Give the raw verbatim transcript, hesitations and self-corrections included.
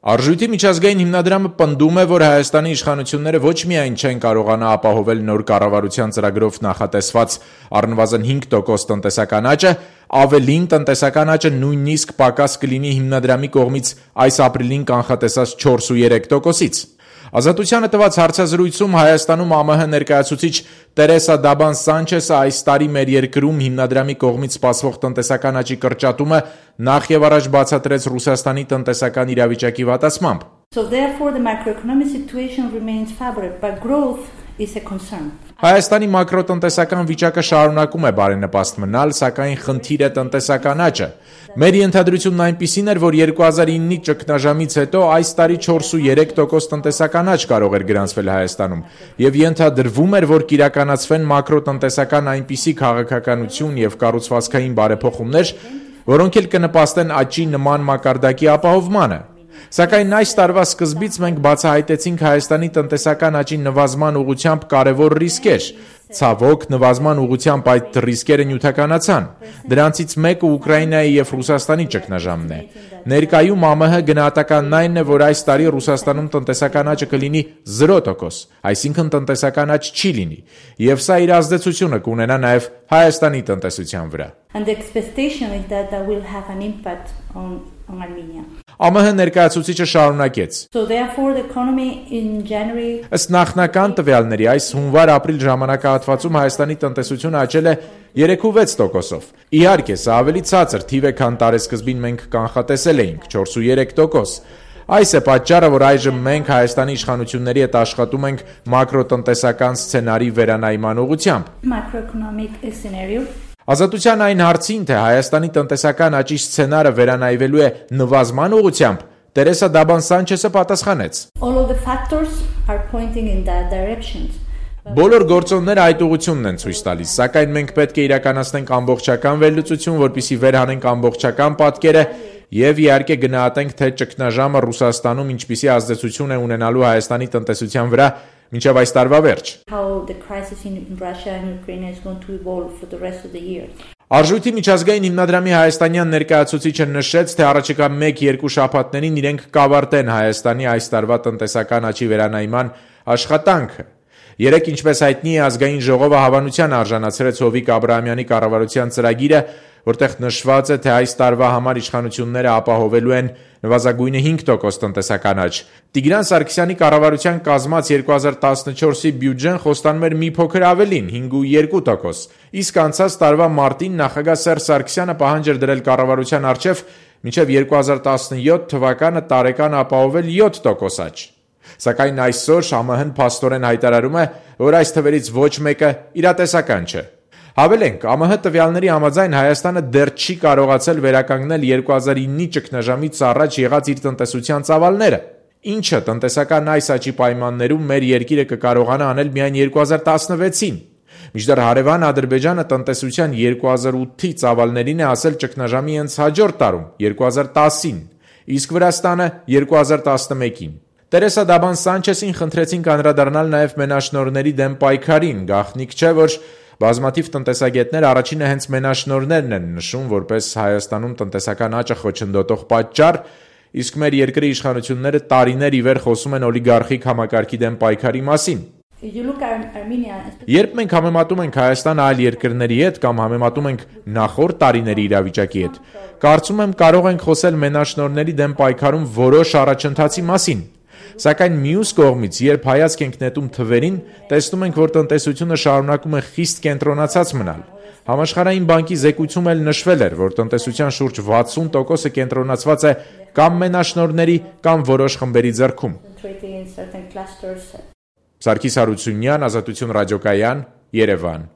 Արժույթի միջազգային հիմնադրամը պնդում է, որ Հայաստանի իշխանությունները ոչ միայն չեն կարողանա ապահովել նոր կառավարության ծրագրով նախատեսված առնվազն հինգ տոկոս տնտեսական աճը, ավելին տնտեսական աճը նույնիսկ պակաս կլինի հիմնադրամի կողմից այս ապրիլին կանխատեսած չորս ու երեք տոկոսից։ Ազատությանը տված հարցազրույցում Հայաստանում ԱՄՀ ներկայացուցիչ Տերեսա Դաբան Սանչեսը այս տարի մեր երկրում հիմնադրամի կողմից սպասվող տնտեսական աճի կրճատումը նախ եւ առաջ բացատրեց Ռուսաստանի տնտեսական իրավիճակի վատացմամբ։ So therefore the macroeconomic situation remains favorable, but growth is a concern. Հայաստանի մակրոտնտեսական վիճակը շարունակում է բարենպաստ մնալ, սակայն խնդիր է տնտեսական աճը։ Մեր ենթադրությունն այնպիսին էր, որ երկու հազար իննի ճգնաժամից հետո այս տարի չորս ու երեք տոկոս տնտեսական աճ կարող էր գրանցվել Հայաստանում, եւ ենթադրվում էր, որ կիրականացվեն մակրոտնտեսական այնպիսի քաղաքականություն եւ կառուցվածքային բարեփոխումներ, որոնք էլ կնպաստեն աճի նման մակարդակի ապահովմանը։ Սակայն այս տարվա սկզբից մենք բացահայտեցինք Հայաստանի տնտեսական աճի նվազման ուղղությամբ կարևոր ռիսկեր։ Ցավոք, նվազման ուղղությամբ այդ ռիսկերը նյութականացան։ Դրանցից մեկը Ուկրաինայի եւ Ռուսաստանի ճգնաժամն է։ Ներկայում ԱՄՀ գնահատականն այն է, որ այս տարի Ռուսաստանում տնտեսական աճը կլինի զիրո տոկոս, այսինքն տնտեսական աճ չի լինի, եւ սա իր ազդեցությունը կունենա նաեւ Հայաստանի տնտեսության վրա։ And the expectation is that that will have an impact on on Armenia. ԱՄՀ ներկայացուցիչը շարունակեց. So therefore the economy in January Ըստ նախնական տվյալների այս հունվար-ապրիլ ժամանակահատվածում Հայաստանի տնտեսությունը աճել է երեք ու վեց տոկոսով։ Իհարկե, սա ավելի ցածր թիվ է, քան տարեսկզբին մենք կանխատեսել էինք՝ չորս ու երեք տոկոս։ Այս է պատճառը, որ այժմ մենք Հայաստանի իշխանությունների հետ աշխատում ենք մակրոտնտեսական սցենարի վերանայման ուղղությամբ։ macroeconomic scenario. Ազատության այն հարցին, թե Հայաստանի տնտեսական աճի սցենարը վերանայվելու է նվազման ուղղությամբ, Տերեսա Դաբան Սանչեսը պատասխանեց. All of the factors are pointing in that direction. Բոլոր գործոնները այդ ուղղությունն են ցույց տալիս, սակայն մենք պետք է իրականացնենք ամբողջական վերլուծություն, որպեսզի վերհանենք ամբողջական պատկերը եւ իհարկե գնահատենք, թե ճգնաժամը Ռուսաստանում ինչպիսի ազդեցություն է ունենալու Հայաստանի տնտեսության վրա մինչև այս տարվա վերջ։ How the crisis in Russia and Ukraine is going to evolve for the rest of the year. Արժույթի միջազգային հիմնադրամի հայաստանյան ներկայացուցիչը նշեց, թե առաջիկա մեկ-երկու շաբաթներին իրենք կավարտեն Հայաստանի այս տարվա տնտեսական աճի վերանայման աշխատանքը։ Երեք, ինչպես հայտնի է, ազգային ժողովը հավանության արժանացրեց Հովիկ Աբրահամյանի կառավարության ծրագիրը, որտեղ նշված է, թե այս տարվա համար իշխանությունները ապահովելու են նվազագույնը հինգ տոկոս տնտեսական աճ։ Տիգրան Սարգսյանի կառավարության կազմած երկու հազար տասնչորսի բյուջեն խոստանում էր մի փոքր ավելին՝ հինգ ու երկու տոկոս։ Իսկ անցած տարվա մարտին նախագահ Սերժ Սարգսյանը պահանջ էր դրել կառավարության առջև մինչև երկու հազար տասնյոթ թվականը տարեկան ապահովել յոթ տոկոս աճ։ Սակայն այսօր ԱՄՀ-ն փաստորեն հայտարարում է, որ այս թվերից ոչ մեկը իրատեսական չէ։ Հավելենք, ԱՄՀ տվյալների համաձայն Հայաստանը դեռ չի կարողացել վերականգնել երկու հազար իննի ճգնաժամից առաջ եղած իր տնտեսության ծավալները, ինչը տնտեսական այս աճի պայմաններում մեր երկիրը կկարողանա անել միայն երկու հազար տասնվեցին։ Մինչդեռ հարևան Ադրբեջանը տնտեսության երկու հազար ութի ծավալներին է ասել ճգնաժամի հենց հաջորդ տարում՝ երկու հազար տասին, իսկ Վրաստանը երկու հազար տասնմեկին։ Տերեսա Դաբան Սանչեսին խնդրեցինք անդրադառնալ նաև մենաշնորհների դեմ պայքարին, գաղտնիք չէ, որ բազմաթիվ տնտեսագետներ առաջինը հենց մենաշնորհներն են նշում որպես Հայաստանում տնտեսական աճը խոչընդոտող պատճառ, իսկ մեր երկրի իշխանությունները տարիներ ի վեր խոսում են օլիգարխիկ համակարգի դեմ պայքարի մասին։ Երբ մենք համեմատում ենք Հայաստանը այլ երկրների հետ կամ համեմատում ենք նախորդ տարիների իրավիճակի հետ, կարծում եմ կարող ենք խոսել մենաշնորհների դեմ պայքարում որոշ առաջընթացի մասին։ Սակայն մյուս կողմից, երբ հայացք ենք նետում թվերին, տեսնում ենք, որ տնտեսությունը շարունակում է խիստ կենտրոնացած մնալ։ Համաշխարհային բանկի զեկույցում էլ նշվել էր, որ տնտեսության շուրջ վաթսուն տոկոսը կենտրոնացված է կամ մենաշնորհների, կամ որոշ խմբերի ձեռքում։ Սարգիս Հարությունյան, Ազատություն ռադիոկայան, Երևան։